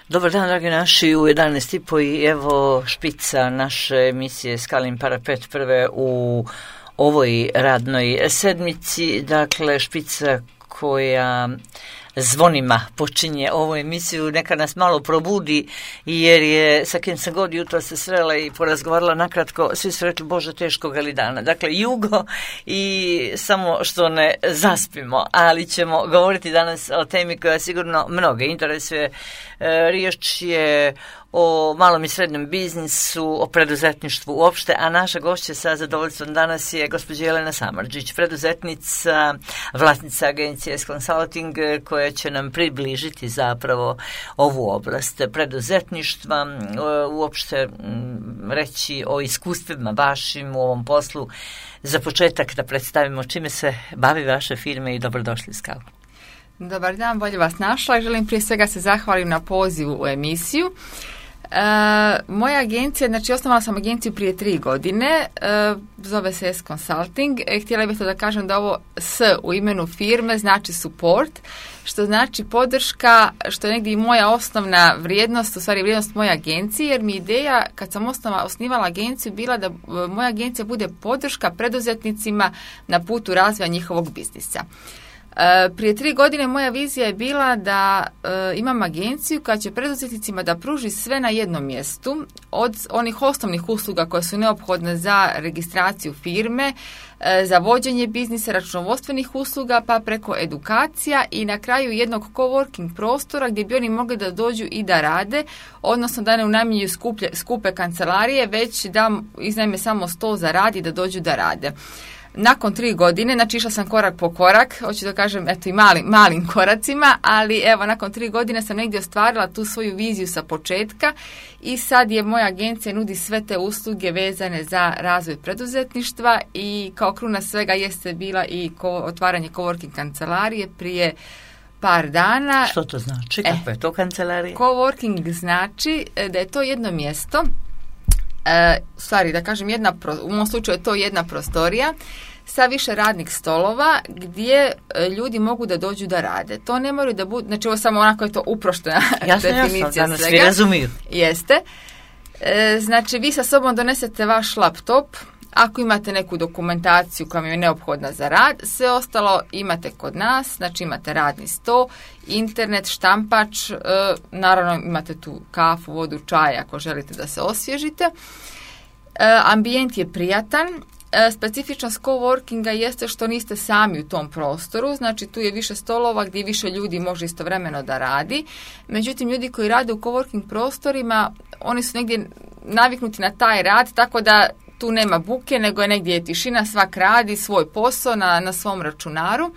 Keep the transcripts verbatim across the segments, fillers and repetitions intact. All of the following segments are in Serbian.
Dobar dan, dragi naši, u jedanaest i po i evo špica naše emisije Skalin parapet prve u ovoj radnoj sedmici, dakle špica koja zvonima počinje ovu emisiju, neka nas malo probudi, jer je sa kim sam god jutro se srela i porazgovarala nakratko, svi su rekli Bože teškog ali dana. Dakle jugo i samo što ne zaspimo, ali ćemo govoriti danas o temi koja sigurno mnoge interesuje. Riječ je o malom i srednjem biznisu, o preduzetništvu uopšte, a naša gošća sa zadovoljstvom danas je gospođa Jelena Samardžić, preduzetnica, vlasnica agencije S-Consulting, koja će nam približiti zapravo ovu oblast preduzetništva, uopšte reći o iskustvima vašim u ovom poslu. Za početak da predstavimo čime se bavi vaše firme i dobrodošli Skal. Dobar dan, bolje vas našla. Želim prije svega se zahvalim na pozivu u emisiju. E, moja agencija, znači osnovala sam agenciju prije tri godine, e, zove se S-Consulting. E, htjela bih to da kažem da ovo S u imenu firme znači support, što znači podrška, što je negdje i moja osnovna vrijednost, u stvari vrijednost moje agencije, jer mi ideja kad sam osnova, osnivala agenciju bila da moja agencija bude podrška preduzetnicima na putu razvoja njihovog biznisa. Prije tri godine moja vizija je bila da e, imam agenciju koja će preduzetnicima da pruži sve na jednom mjestu, od onih osnovnih usluga koje su neophodne za registraciju firme, e, za vođenje biznisa, računovodstvenih usluga, pa preko edukacija i na kraju jednog coworking prostora gdje bi oni mogli da dođu i da rade, odnosno da ne unajmljuju skuplje, skupe kancelarije, već da iznajme samo sto za rad i da dođu da rade. Nakon tri godine, znači išla sam korak po korak, hoću da kažem, eto i malim, malim koracima, ali evo, nakon tri godine sam negdje ostvarila tu svoju viziju sa početka i sad je moja agencija nudi sve te usluge vezane za razvoj preduzetništva i kao kruna svega jeste bila i ko, otvaranje coworking kancelarije prije par dana. Što to znači? Kako je to kancelarija? Coworking znači da je to jedno mjesto, E, stvari, da kažem, jedna, u mom slučaju je to jedna prostorija sa više radnih stolova gdje e, ljudi mogu da dođu da rade. To ne moraju da budu, znači ovo samo onako je to uproštena definicija jasno, svega. Svi razumiju. Jeste. E, znači vi sa sobom donesete vaš laptop, ako imate neku dokumentaciju koja vam je neophodna za rad, sve ostalo imate kod nas, znači imate radni sto, internet, štampač, e, naravno imate tu kafu, vodu, čaj ako želite da se osvježite. E, ambijent je prijatan. E, specifičnost coworkinga jeste što niste sami u tom prostoru, znači tu je više stolova gdje više ljudi može istovremeno da radi. Međutim, ljudi koji rade u coworking prostorima, oni su negdje naviknuti na taj rad, tako da tu nema buke, nego je negdje je tišina, svak radi svoj posao na, na svom računaru. E,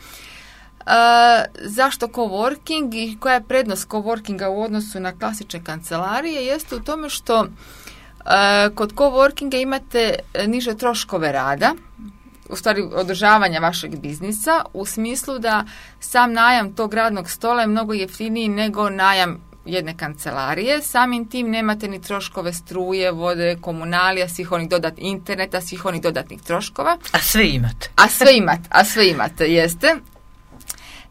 zašto coworking i koja je prednost coworkinga u odnosu na klasične kancelarije? Jeste u tome što e, kod coworkinga imate niže troškove rada, u stvari održavanja vašeg biznisa, u smislu da sam najam tog radnog stola je mnogo jeftiniji nego najam jedne kancelarije, samim tim nemate ni troškove struje, vode, komunalija, svih onih dodatnih interneta, svih onih dodatnih troškova. A sve imate. A sve imate, a sve imate, jeste.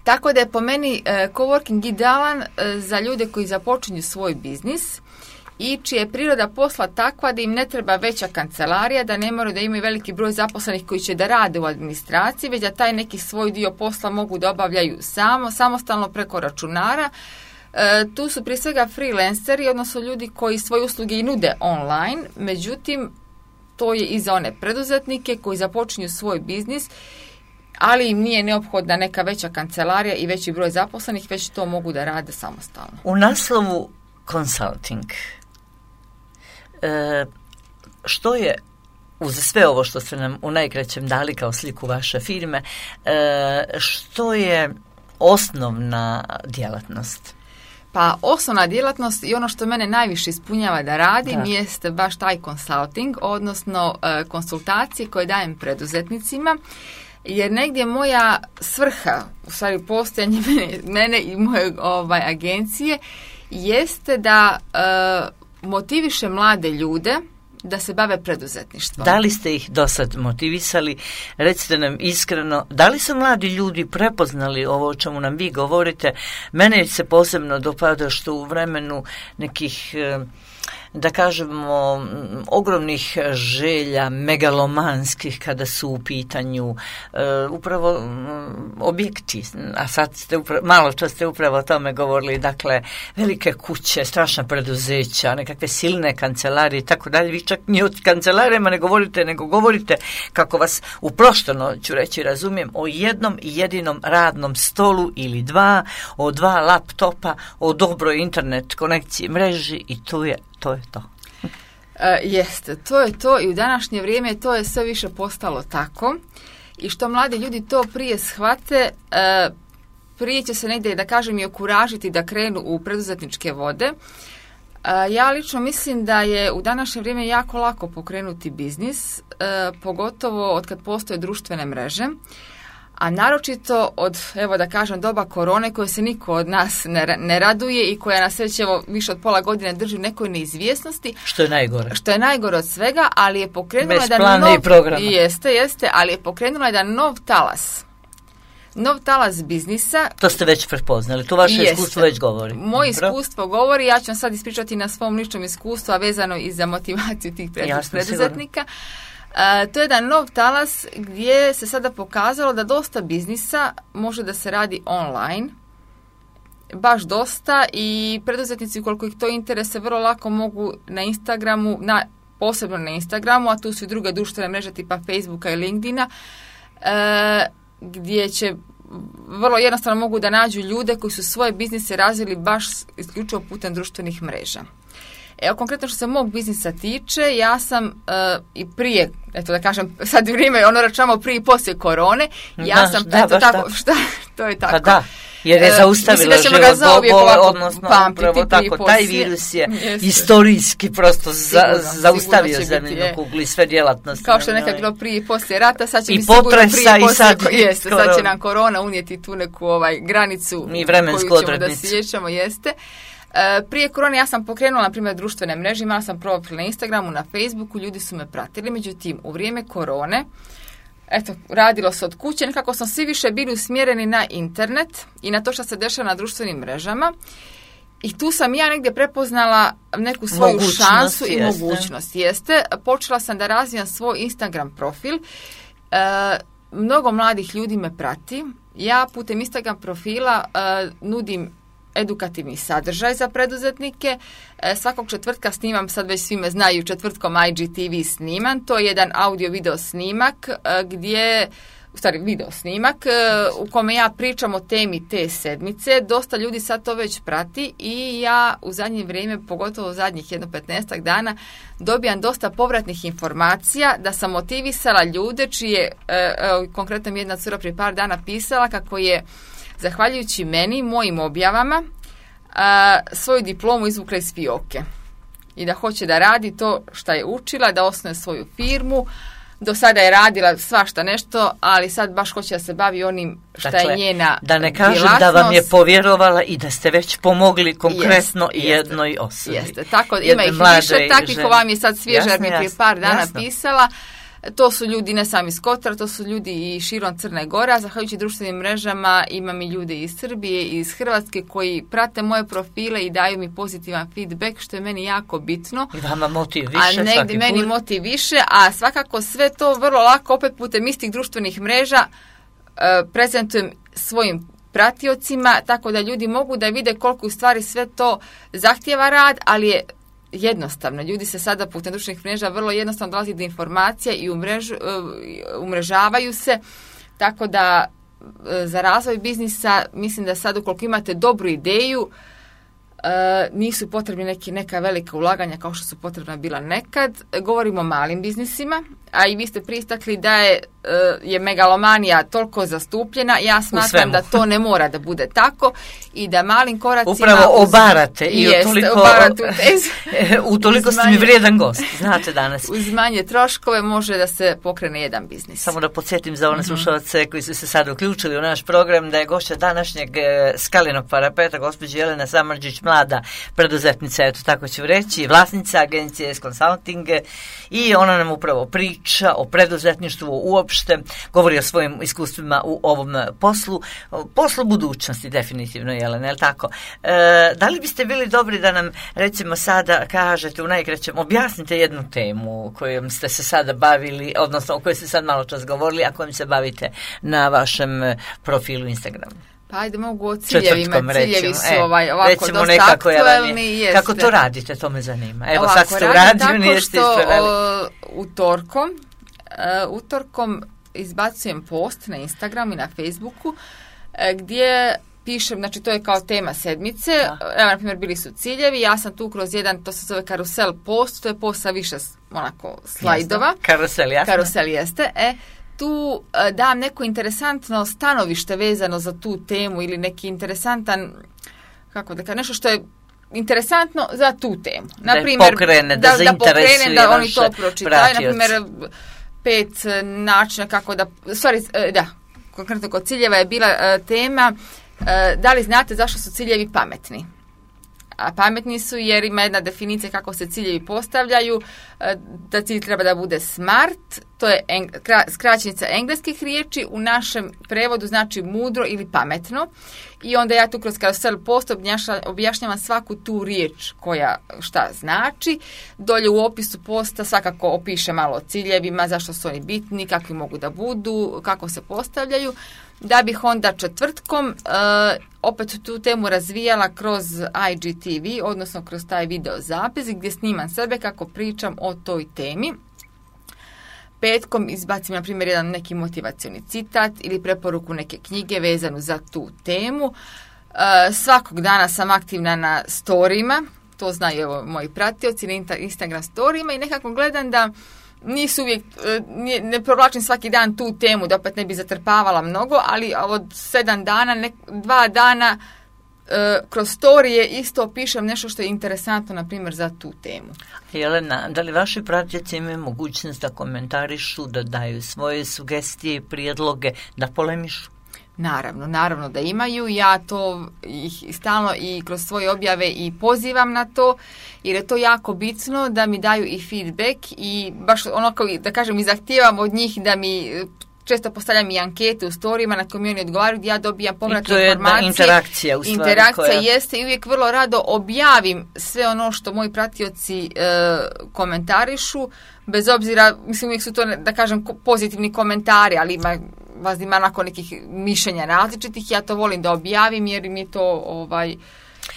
Tako da je po meni e, coworking idealan e, za ljude koji započinju svoj biznis i čija je priroda posla takva da im ne treba veća kancelarija, da ne moraju da imaju veliki broj zaposlenih koji će da rade u administraciji, već da taj neki svoj dio posla mogu da obavljaju samo, samostalno preko računara. E, tu su prije svega freelanceri, odnosno ljudi koji svoje usluge i nude online, međutim to je i za one preduzetnike koji započinju svoj biznis, ali im nije neophodna neka veća kancelarija i veći broj zaposlenih, već to mogu da rade samostalno. U naslovu consulting, e, što je uz sve ovo što ste nam u najkraćem dali kao sliku vaše firme, e, što je osnovna djelatnost? Pa osnovna djelatnost i ono što mene najviše ispunjava da radim da. Jeste baš taj consulting, odnosno e, konsultacije koje dajem preduzetnicima, jer negdje moja svrha, u stvari postojanje mene, mene i moje ovaj, agencije, jeste da e, motiviše mlade ljude da se bave preduzetništvom. Da li ste ih do sad motivisali? Recite nam iskreno, da li su mladi ljudi prepoznali ovo o čemu nam vi govorite? Mene se posebno dopada što u vremenu nekih, da kažemo, ogromnih želja, megalomanskih kada su u pitanju uh, upravo um, objekti, a sad ste upravo, malo što ste upravo o tome govorili, dakle, velike kuće, strašna preduzeća, nekakve silne kancelarije i tako dalje. Vi čak ni o kancelarijama ne govorite, nego govorite, kako vas uprošteno ću reći, razumijem, o jednom jedinom radnom stolu ili dva, o dva laptopa, o dobroj internet konekciji, mreži i tu je To je to. E, jeste, to je to i u današnje vrijeme to je sve više postalo tako i što mladi ljudi to prije shvate, e, prije će se negdje, da kažem, i okuražiti da krenu u preduzetničke vode. E, ja lično mislim da je u današnje vrijeme jako lako pokrenuti biznis, e, pogotovo od kad postoje društvene mreže. A naročito od, evo da kažem, doba korone koje se niko od nas ne, ne raduje i koja nas već evo više od pola godine drži u nekoj neizvjesnosti. Što je najgore. Što je najgore od svega, ali je pokrenula bez da plana nov, i programa. Jeste, jeste, ali je pokrenula jedan nov talas. Nov talas biznisa. To ste već prepoznali, to vaše jeste. Iskustvo već govori. Moje iskustvo govori, ja ću vam sad ispričati na svom ličnom iskustvu, a vezano i za motivaciju tih preduzetnika. Uh, to je jedan nov talas gdje se sada pokazalo da dosta biznisa može da se radi online, baš dosta, i preduzetnici koliko ih to interese vrlo lako mogu na Instagramu, na, posebno na Instagramu, a tu su i druge društvene mreže tipa Facebooka i LinkedIna, uh, gdje će vrlo jednostavno mogu da nađu ljude koji su svoje biznise razvili baš isključivo putem društvenih mreža. Evo, konkretno što se mog biznisa tiče, ja sam uh, i prije, eto da kažem, sad vrijeme, ono računamo prije i poslije korone, ja da, sam, da, eto tako, da. šta, to je tako. Pa da, jer je zaustavilo uh, život bole, odnosno upravo tako, taj virus je jeste. Istorijski prosto za, sigurno, zaustavio zemljinu kuglu i sve djelatnosti. Kao što je nekad bilo prije i poslije rata, sad će i mi sigurno prije i poslije, sad, jeste, sad će nam korona unijeti tu neku ovaj, granicu i vremensku koju ćemo odrednicu. Da sjećamo, jeste. Uh, prije korone ja sam pokrenula, na primjer, društvene mreže, imala sam profil na Instagramu, na Facebooku, ljudi su me pratili, međutim, u vrijeme korone, eto, radilo se od kuće, nekako smo svi više bili usmjereni na internet i na to što se dešava na društvenim mrežama. I tu sam ja negdje prepoznala neku svoju mogućnost, šansu i jeste. mogućnost. Jeste, počela sam da razvijam svoj Instagram profil, uh, mnogo mladih ljudi me prati, ja putem Instagram profila uh, nudim edukativni sadržaj za preduzetnike. E, svakog četvrtka snimam, sad već svi me znaju, četvrtkom I G T V snimam. To je jedan audio-video snimak e, gdje, u stvari video snimak, e, u kome ja pričam o temi te sedmice. Dosta ljudi sad to već prati i ja u zadnje vrijeme, pogotovo u zadnjih jedno petnaestak dana, dobijam dosta povratnih informacija da sam motivisala ljude čije, e, e, konkretno mi jedna cura prije par dana pisala kako je zahvaljujući meni, mojim objavama, a, svoju diplomu izvukla iz fioke. I da hoće da radi to što je učila, da osnuje svoju firmu. Do sada je radila svašta nešto, ali sad baš hoće da se bavi onim što dakle, je njena da ne kažem djelatnost. Da vam je povjerovala i da ste već pomogli konkretno jeste, jednoj osobi. Jeste, tako ima ih više, takvih ko vam je sad svježa, jer mi prije par dana jasno. pisala. To su ljudi ne sami iz Kotora, to su ljudi i širom Crne Gore, a zahvaljujući društvenim mrežama imam i ljude iz Srbije i iz Hrvatske koji prate moje profile i daju mi pozitivan feedback, što je meni jako bitno. I vama motiv više. A negdje meni motiv više, a svakako sve to vrlo lako opet putem istih društvenih mreža uh, prezentujem svojim pratiocima, tako da ljudi mogu da vide koliko u stvari sve to zahtjeva rad, ali je jednostavno. Ljudi se sada putem društvenih mreža vrlo jednostavno dolazi do informacija i umrežu, umrežavaju se, tako da za razvoj biznisa mislim da sad ukoliko imate dobru ideju, nisu potrebni neki, neka velika ulaganja kao što su potrebna bila nekad. Govorimo o malim biznisima. a i vi ste pristakli da je, je megalomanija toliko zastupljena, ja smatram da to ne mora da bude tako i da malim koracima... Upravo obarate i jest, utoliko, utoliko ste mi vrijedan gost, znate danas. Uz manje troškove može da se pokrene jedan biznis. Samo da podsjetim za one slušalce koji su se sad uključili u naš program da je gošća današnjeg Skalinog parapeta gospođa Jelena Samardžić, mlada preduzetnica, eto tako ću reći, vlasnica agencije S-Consulting i ona nam upravo priča o preduzetništvu uopšte, govori o svojim iskustvima u ovom poslu, poslu budućnosti definitivno, Jelena, je li tako? E, da li biste bili dobri da nam recimo sada kažete u najkraćem, objasnite jednu temu kojom ste se sada bavili, odnosno o kojoj ste sad malo čas govorili, a kojom se bavite na vašem profilu Instagramu? Pa ajde, mogu o ciljevima. Ciljevi su e, ovaj, ovako dosta aktuelni. Je, kako to radite, to me zanima. Evo ovako, sad ste u radiju, nije ste ispravili. Utorkom, uh, utorkom izbacujem post na Instagram i na Facebooku uh, gdje pišem, znači to je kao tema sedmice, da. Evo na primjer bili su ciljevi, ja sam tu kroz jedan, to se zove karusel post, to je post sa više onako slajdova. Jasno. Karusel, jasno. Karusel jeste, e. Tu dam neko interesantno stanovište vezano za tu temu ili neki interesantan, kako da kažem, nešto što je interesantno za tu temu. Naprimjer, da pokrene, da, da, da pokrene, da oni to pročitaju. Naprimjer, pet načina kako da, sorry, da, konkretno kod ciljeva je bila uh, tema, uh, da li znate zašto su ciljevi pametni? A pametni su jer ima jedna definicija kako se ciljevi postavljaju, da cilj treba da bude smart, to je eng, skraćenica engleskih riječi, u našem prevodu znači mudro ili pametno i onda ja tu kroz karusel post objašnjavam svaku tu riječ koja šta znači, dolje u opisu posta svakako opiše malo o ciljevima, zašto su oni bitni, kakvi mogu da budu, kako se postavljaju, da bih onda četvrtkom uh, opet tu temu razvijala kroz I G T V, odnosno kroz taj video zapis gdje snimam sebe kako pričam o toj temi. Petkom izbacim, na primjer, jedan neki motivacioni citat ili preporuku neke knjige vezanu za tu temu. Uh, svakog dana sam aktivna na storijima, to znaju evo, moji pratioci na Instagram storijima i nekako gledam da nisu uvijek, ne provlačim svaki dan tu temu da opet ne bi zatrpavala mnogo, ali od sedam dana, ne, dva dana e, kroz storije isto pišem nešto što je interesantno, na primjer, za tu temu. Jelena, da li vaši pratioci imaju mogućnost da komentarišu, da daju svoje sugestije i prijedloge, da polemišu? Naravno, naravno da imaju. Ja to ih stalno i kroz svoje objave i pozivam na to, jer je to jako bitno da mi daju i feedback i baš onako, da kažem, i zahtijevam od njih da mi često postavljam i ankete u storijima na koje mi oni odgovaraju, gdje ja dobijam povratne informacije. I to je interakcija u stvari. Interakcija koja... jeste i uvijek vrlo rado objavim sve ono što moji pratioci e, komentarišu, bez obzira, mislim uvijek su to, da kažem, pozitivni komentari, ali ima vas ima onako nekih mišljenja različitih, ja to volim da objavim jer mi je to ovaj,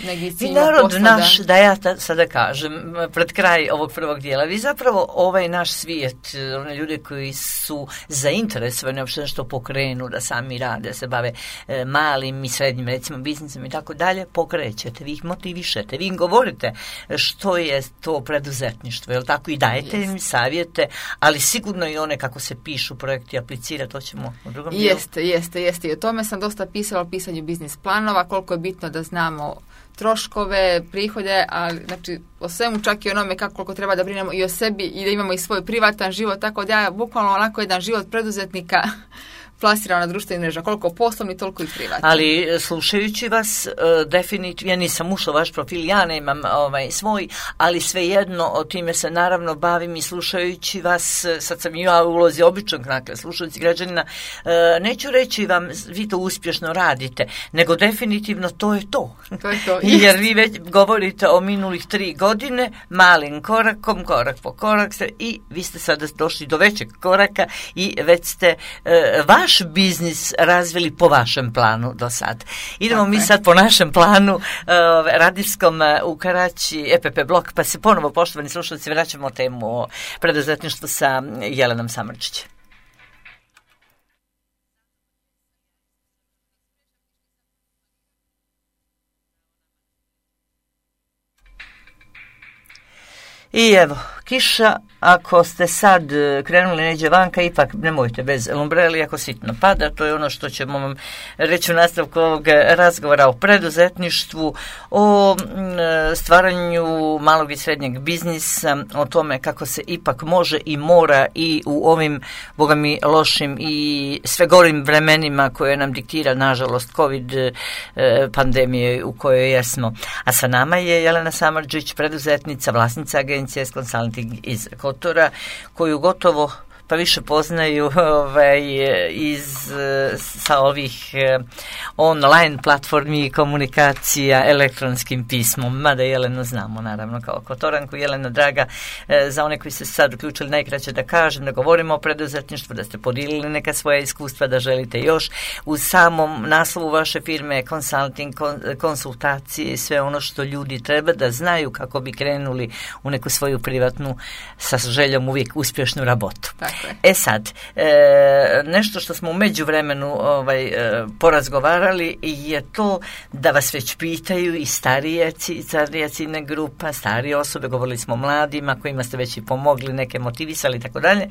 negdje ciljno posla. I narod naš, da ja ta, sada kažem, pred kraj ovog prvog dijela, vi zapravo ovaj naš svijet, one ljude koji su zainteresovani uopšte nešto pokrenu, da sami rade, se bave e, malim i srednjim, recimo, biznisom i tako dalje, pokrećete, vi ih motivišete, vi im govorite što je to preduzetništvo, jel tako, i dajete im savjete, ali sigurno i one kako se pišu projekti, aplicira, to ćemo u drugom dijelu. Jeste, jeste, jeste. I o tome sam dosta pisala o pisanju biznis planova, koliko je bitno da znamo troškove, prihode, ali znači o svemu, čak i onome kako koliko treba da brinemo i o sebi i da imamo i svoj privatan život, tako da ja bukvalno onako jedan život preduzetnika plasirao na društvenim mrežama, koliko poslovni, toliko i privatni. Ali slušajući vas, uh, definitivno, ja nisam ušla u vaš profil, ja nemam ovaj, svoj, ali svejedno o time se naravno bavim i slušajući vas, sad sam i ja u ulozi običnog, dakle, slušajući građanina, uh, neću reći vam, vi to uspješno radite, nego definitivno to je to. To je to. Jer vi već govorite o minulih tri godine, malim korakom, korak po korak, i vi ste sada došli do većeg koraka i već ste uh, vaš biznis razvili po vašem planu do sad. Idemo okay. mi sad po našem planu uh, radijskom uh, u Karaći, E P P blok, pa se ponovo, poštovani slušalci, vraćamo temu o preduzetništvu sa Jelenom Samardžić. I evo, kiša, ako ste sad krenuli neđe vanka, ipak nemojte bez umbreli ako sitno pada. To je ono što ćemo vam reći u nastavku ovog razgovora o preduzetništvu, o stvaranju malog i srednjeg biznisa, o tome kako se ipak može i mora i u ovim, boga mi, lošim i sve gorim vremenima koje nam diktira, nažalost, COVID pandemije u kojoj jesmo. A sa nama je Jelena Samardžić, preduzetnica, vlasnica agencije S-Consulting iz Kotora, koju gotovo pa više poznaju ovaj, iz, sa ovih online platformi i komunikacija elektronskim pismom. Mada Jelenu znamo, naravno, kao Kotoranku. Jelena, draga, za one koji se sad uključili, najkraće da kažem, da govorimo o preduzetništvu, da ste podijelili neka svoja iskustva, da želite još. U samom naslovu vaše firme consulting, konsultacije i sve ono što ljudi treba da znaju kako bi krenuli u neku svoju privatnu, sa željom uvijek uspješnu rabotu. Tako. E sad, e, nešto što smo u međuvremenu ovaj, e, porazgovarali je to da vas već pitaju i starije, starija ciljna grupa, starije osobe, govorili smo o mladima kojima ste već i pomogli, neke motivisali i tako dalje.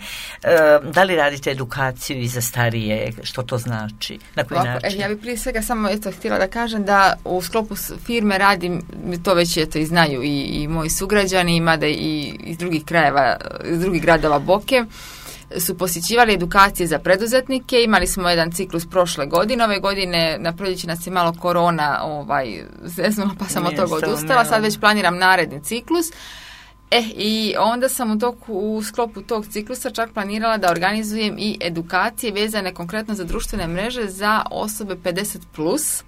Da li radite edukaciju i za starije, što to znači, na koji Ovako, način? Ja bih prije svega samo eto, htjela da kažem da u sklopu firme radim, to već eto, i znaju i, i moji sugrađani, mada i iz drugih krajeva, iz drugih gradova Boke, su posjećivali edukacije za preduzetnike. Imali smo jedan ciklus prošle godine. Ove godine na proljeće nas je malo korona ovaj, zeznula, pa sam od toga odustala. Sad već planiram naredni ciklus. E, i onda sam u, toku, u sklopu tog ciklusa čak planirala da organizujem i edukacije vezane konkretno za društvene mreže za osobe pedeset plus,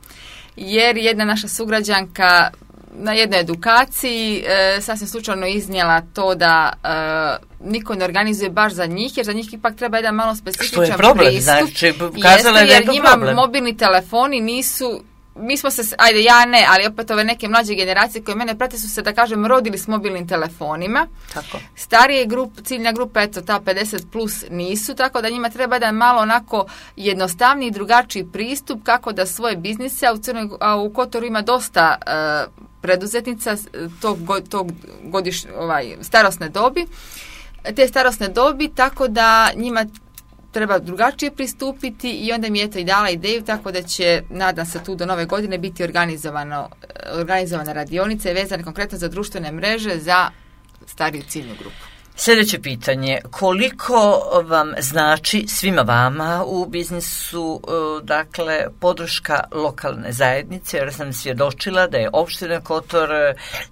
jer jedna naša sugrađanka na jednoj edukaciji e, sasvim slučajno iznijela to da e, niko ne organizuje baš za njih, jer za njih ipak treba jedan malo specifičan pristup. Što je problem, pristup. Znači, kazala je da je to njima problem. Mobilni telefoni nisu, mi smo se, ajde ja ne, ali opet ove neke mlađe generacije koje mene prate su se, da kažem, rodili s mobilnim telefonima. Tako. Starije grup, ciljna grupa, eto ta pedeset plus nisu, tako da njima treba da malo onako jednostavniji i drugačiji pristup kako da svoje biznise, a u, Crnoj, a u Kotoru ima dosta uh, preduzetnica tog, tog godiš, ovaj, starosne dobi, te starosne dobi, tako da njima treba drugačije pristupiti i onda mi je to i dala ideju, tako da će, nadam se, tu do nove godine biti organizovano, organizovane radionice vezane konkretno za društvene mreže za stariju ciljnu grupu. Sljedeće pitanje, koliko vam znači svima vama u biznisu, dakle, podrška lokalne zajednice, jer sam svjedočila da je opština Kotor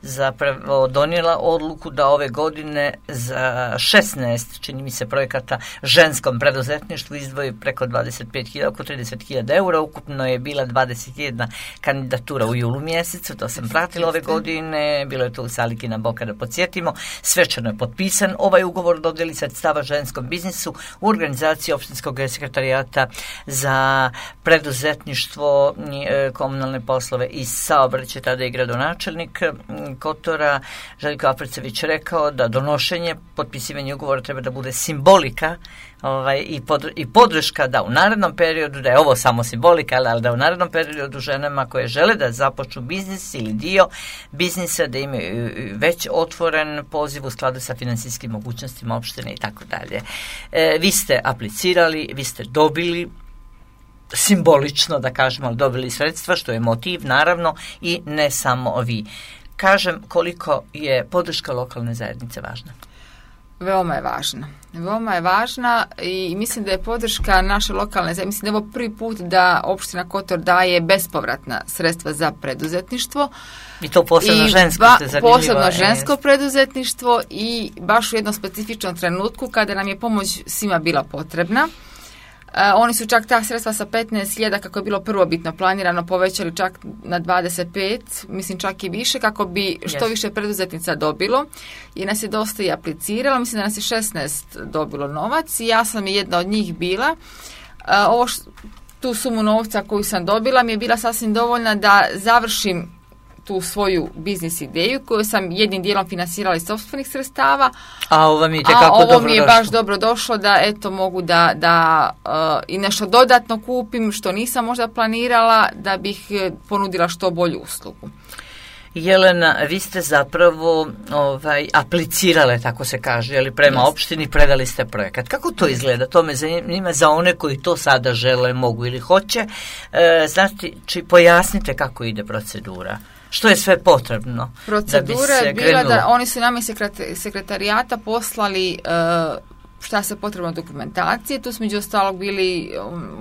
zapravo donijela odluku da ove godine za šesnaest, čini mi se, projekata ženskom preduzetništvu izdvoji preko dvadeset pet hiljada, oko trideset hiljada eura, ukupno je bila dvadeset jedna kandidatura u julu mjesecu, to sam pratila ove godine, bilo je to u sali Kina Boka, da podsjetimo, svečano je potpisan ovaj ugovor dodjeli sredstava ženskom biznisu u organizaciji opštinskog sekretarijata za preduzetništvo, komunalne poslove i saobraćaj. Tada je gradonačelnik Kotora Željko Apercević rekao da donošenje, potpisivanje ugovora treba da bude simbolika ovaj, i, pod, i podrška da u narednom periodu, da je ovo samo simbolika, ali da u narednom periodu ženama koje žele da započnu biznis ili dio biznisa, da imaju već otvoren poziv u skladu sa finansijskim mogućnostima opštine i tako dalje. Vi ste aplicirali, vi ste dobili, simbolično da kažemo, ali dobili sredstva, što je motiv, naravno, i ne samo vi. Kažem, koliko je podrška lokalne zajednice važna? Veoma je važna. Veoma je važna i mislim da je podrška naše lokalne zajednice, mislim da je ovo prvi put da opština Kotor daje bespovratna sredstva za preduzetništvo. I to posebno I žensko. Ba, posebno žensko preduzetništvo i baš u jednom specifičnom trenutku kada nam je pomoć svima bila potrebna. Uh, oni su čak ta sredstva sa petnaest hiljada, kako je bilo prvobitno planirano, povećali čak na dvadeset pet, mislim čak i više, kako bi što yes. više preduzetnica dobilo. I nas je dosta i apliciralo, mislim da nas je šesnaest dobilo novac i ja sam jedna od njih bila. Uh, ovo š, tu sumu novca koju sam dobila mi je bila sasvim dovoljna da završim tu svoju biznis ideju koju sam jednim dijelom finansirala iz sopstvenih sredstava, a ovo mi je, a ovo mi je baš dobro došlo da eto mogu da, da uh, i nešto dodatno kupim što nisam možda planirala da bih ponudila što bolju uslugu. Jelena, vi ste zapravo ovaj, aplicirale, tako se kaže, ali prema yes. opštini predali ste projekat. Kako to izgleda? To me zanima za one koji to sada žele, mogu ili hoće. E, znači, či pojasnite kako ide procedura. Što je sve potrebno? Procedura je bila krenulo? Da oni su nam iz sekretarijata poslali uh, šta se potrebno dokumentacije. Tu smo među ostalog bili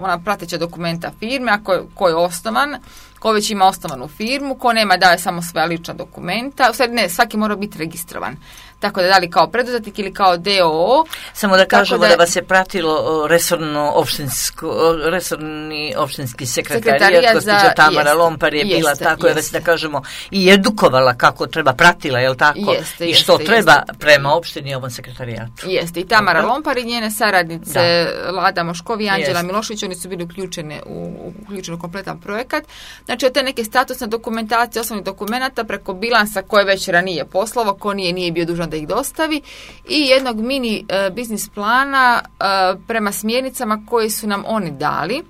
ona prateća dokumenta firme, a ko, ko je osnovan, ko već ima osnovanu firmu, ko nema daje samo svoja lična dokumenta. U stvari ne, svaki mora biti registrovan. Tako da da li kao preduzetnik ili kao D O O. Samo da kažemo da, da vas je pratilo resorno opštinsko, resorni opštinski sekretarijat, gospođa Tamara jest, Lompar je jeste, bila tako, je vas da kažemo i edukovala kako treba, pratila, je li tako? Jeste, I što jeste, treba jeste. Prema opštini i ovom sekretarijatu. Jeste, i Tamara okay. Lompar i njene saradnice, da. Lada Moškovi i Anđela Milošević, oni su bili uključene u, uključeni u kompletan projekat. Znači, od te neke statusne dokumentacije, osnovnih dokumenata, preko bilansa koje već ranije poslovao, ko nije, nije bio dužan da ih dostavi, i jednog mini uh, biznis plana uh, prema smjernicama koje su nam oni dali.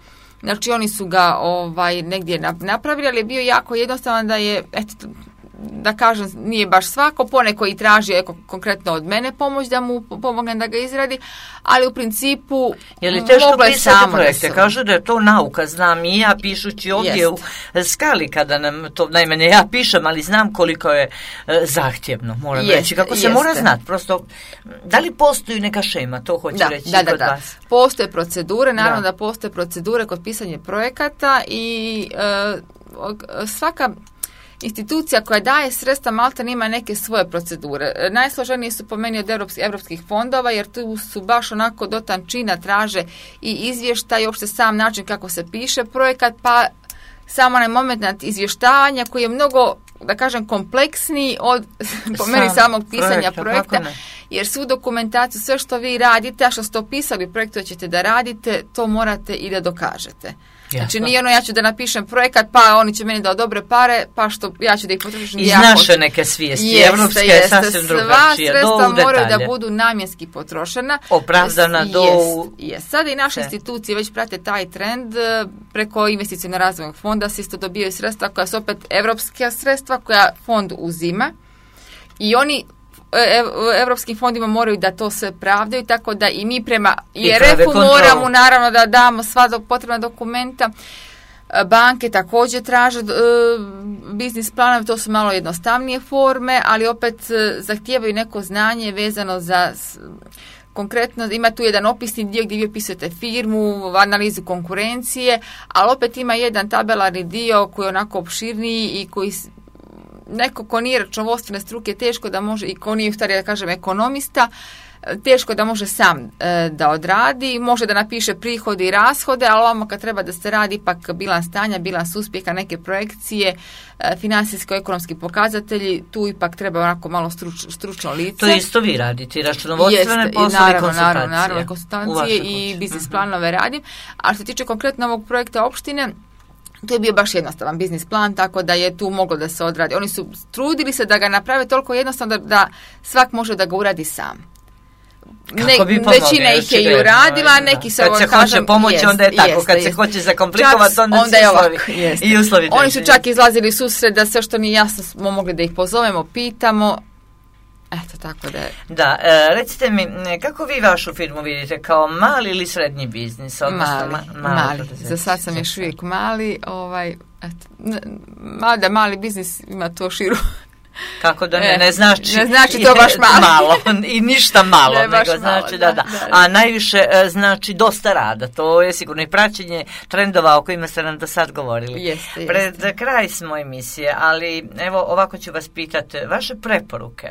Znači, oni su ga ovaj, negdje napravili, ali je bio jako jednostavan da je, eto, da kažem, nije baš svako, poneko i traži eko, konkretno od mene pomoć da mu pomognem da ga izradi, ali u principu je li teško pisati projekte? Da kažu da je to nauka, znam i ja pišući ovdje jest. U Skali, kada nam to, najmanje ja pišem, ali znam koliko je e, zahtjevno, moram jest, reći, kako se jeste. Mora znati, prosto, da li postoji neka šema, to hoću da, reći da, da, kod da. vas? Postoje procedure, naravno da, da postoje procedure kod pisanja projekata i e, svaka institucija koja daje sredstva maltene ima neke svoje procedure. Najsloženije su po meni od europskih fondova, jer tu su baš onako do tančina traže i izvještaj, i uopšte sam način kako se piše projekat, pa samo onaj moment izvještavanja koji je mnogo, da kažem, kompleksniji od po Sam, meni samog pisanja projekta, projekta jer svu dokumentaciju, sve što vi radite, a što ste opisali projektu ćete da radite, to morate i da dokažete. Jasno. Znači nije ono ja ću da napišem projekat, pa oni će meni da odobre pare, pa što ja ću da ih potrošim. Iz naše neke svijesti, evropske je sasvim drugačije. Sva sredstva moraju da budu namjenski potrošena. Opravdana do... Jest, jest. Sada i naše institucije već prate taj trend, preko investicionog razvojnog fonda se isto dobijaju sredstva koja su opet evropska sredstva koja fond uzima i oni evropskim fondima moraju da to sve pravdaju, tako da i mi prema I R F-u moramo naravno da damo sva do, potrebna dokumenta. Banke također traže uh, biznis planove, to su malo jednostavnije forme, ali opet uh, zahtijevaju neko znanje vezano za konkretno, ima tu jedan opisni dio gdje vi opisujete firmu, analizu konkurencije, ali opet ima jedan tabelarni dio koji je onako opširniji i koji neko ko nije računovodstvene struke teško da može, i ko nije u stvari da kažem ekonomista, teško da može sam e, da odradi, može da napiše prihode i rashode, ali ovamo kad treba da se radi ipak bilans stanja, bilans uspjeha, neke projekcije, e, financijsko-ekonomski pokazatelji, tu ipak treba onako malo struč, stručno lice. To isto vi radite, računovodstvene poslove i konsultacije. Naravno, naravno, konsultacije i biznis planove radim, a što se tiče konkretno ovog projekta opštine, to je bio baš jednostavan biznis plan, tako da je tu moglo da se odradi. Oni su trudili se da ga naprave toliko jednostavno da, da svak može da ga uradi sam. Ne, većina ih je i uradila, neki se, kad se kažem, hoće pomoći, jest, onda je tako, jest, kad jest. Se hoće zakomplikovati, onda, onda se uslovi. I uslovi Oni su čak izlazili susret da sve što nije jasno smo mogli da ih pozovemo, pitamo. Eto, tako da je. Da, e, recite mi, kako vi vašu firmu vidite, kao mali ili srednji biznis? Odnosno, mali, ma, mali. mali. Za sad sam još uvijek mali, ovaj, eto, mada mali biznis ima to širu. Kako da ne, ne znači, ne znači to baš malo. malo i ništa malo, ne, nego znači malo, da, da, da. A najviše znači dosta rada, to je sigurno i praćenje trendova o kojima ste nam do sad govorili. Jeste, Pred jeste. kraj smo emisije, ali evo ovako ću vas pitati, vaše preporuke,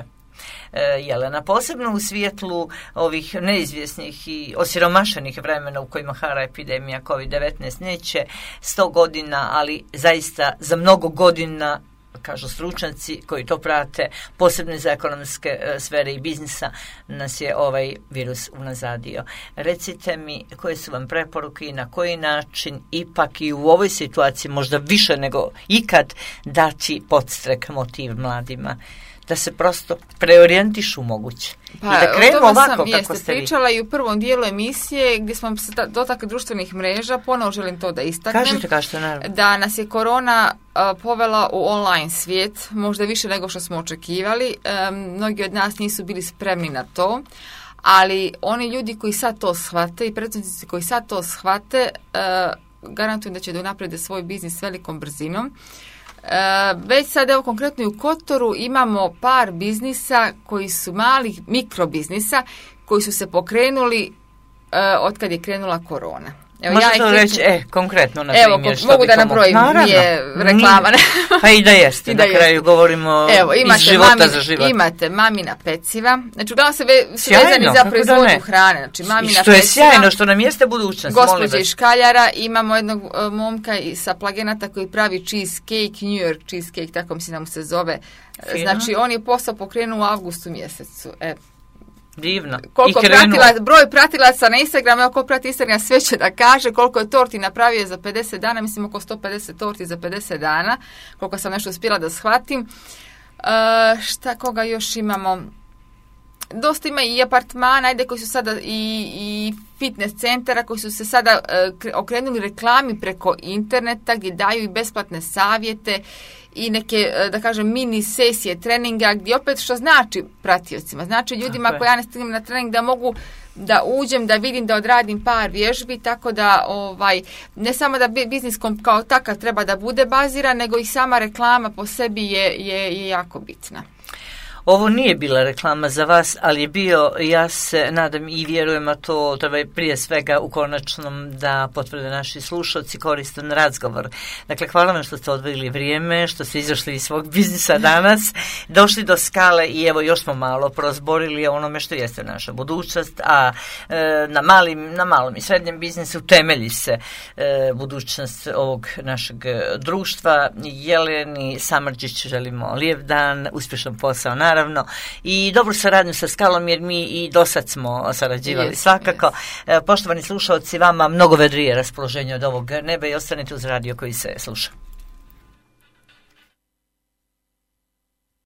Jelena, posebno u svijetlu ovih neizvjesnih i osiromašenih vremena u kojima hara epidemija kovid devetnaest, neće sto godina, ali zaista za mnogo godina, kažu stručnjaci koji to prate, posebno za ekonomske e, sfere i biznisa, nas je ovaj virus unazadio. Recite mi koje su vam preporuke i na koji način ipak i u ovoj situaciji možda više nego ikad dati podstrek, motiv mladima da se prosto preorijentišu moguće. Pa, i da krenu ovako sam, kako jeste, ste vi. Pričala i u prvom dijelu emisije gdje smo se dotakli društvenih mreža, ponovo želim to da istaknem. Kažete, kažete, naravno. Da nas je korona uh, povela u online svijet, možda više nego što smo očekivali. Um, mnogi od nas nisu bili spremni na to, ali oni ljudi koji sad to shvate i predsjednici koji sad to shvate, uh, garantujem da će da unaprede svoj biznis s velikom brzinom. Uh, već sad, evo konkretno i u Kotoru imamo par biznisa koji su malih mikrobiznisa koji su se pokrenuli uh, od kad je krenula korona. Evo, možete ja reći, e, konkretno, na primjer, evo, što mogu bi da to nabrojim, naravno, nije reklama. Pa i da jeste, I da na kraju jeste. govorimo evo, imate iz života mami, za život. Imate mamina peciva, znači uglavnom se ve, su Sjajno, vezani za kako proizvodnju da ne. hrane. Znači, mamina I što je peciva, sjajno, što nam jeste budućnost, molim gospođe vas. iz Škaljara, imamo jednog uh, momka i- sa Plagenata koji pravi cheesecake, New York cheesecake, tako mislim da mu se zove. Fino. Znači, on je posao pokrenuo u avgustu mjesecu. E, Divno. koliko I krenuo. pratila, broj pratilaca na Instagramu, evo ko prati Instagram sve će da kaže koliko je torti napravio za pedeset dana, mislim oko sto pedeset torti za pedeset dana, koliko sam nešto uspjela da shvatim. Uh, šta, koga još imamo? Dosta ima i apartmana, ajde, koji su sada i, i fitness centara koji su se sada uh, kre- okrenuli reklami preko interneta gdje daju i besplatne savjete i neke, uh, da kažem, mini sesije treninga gdje opet što znači pratiocima. Znači ljudima Tako je. koji ja ne stignem na trening da mogu da uđem, da vidim, da odradim par vježbi, tako da ovaj, ne samo da bi- biznis kom- kao takav treba da bude baziran, nego i sama reklama po sebi je, je, je jako bitna. Ovo nije bila reklama za vas, ali je bio, ja se nadam i vjerujem, a to treba prije svega u konačnom da potvrde naši slušalci, koristan razgovor. Dakle, hvala vam što ste odvojili vrijeme, što ste izašli iz svog biznisa danas, došli do skale i evo još smo malo prozborili o onome što jeste naša budućnost, a e, na, malim, na malom i srednjem biznisu temelji se e, budućnost ovog našeg društva. Jeleni Samardžić želimo lijep dan, uspješan posao, naravno, i dobru saradnju sa Skalom, jer mi i do sad smo sarađivali Yes, svakako. E, Poštovani slušalci, vama mnogo vedrije raspoloženje od ovog neba i ostanite uz radio koji se sluša.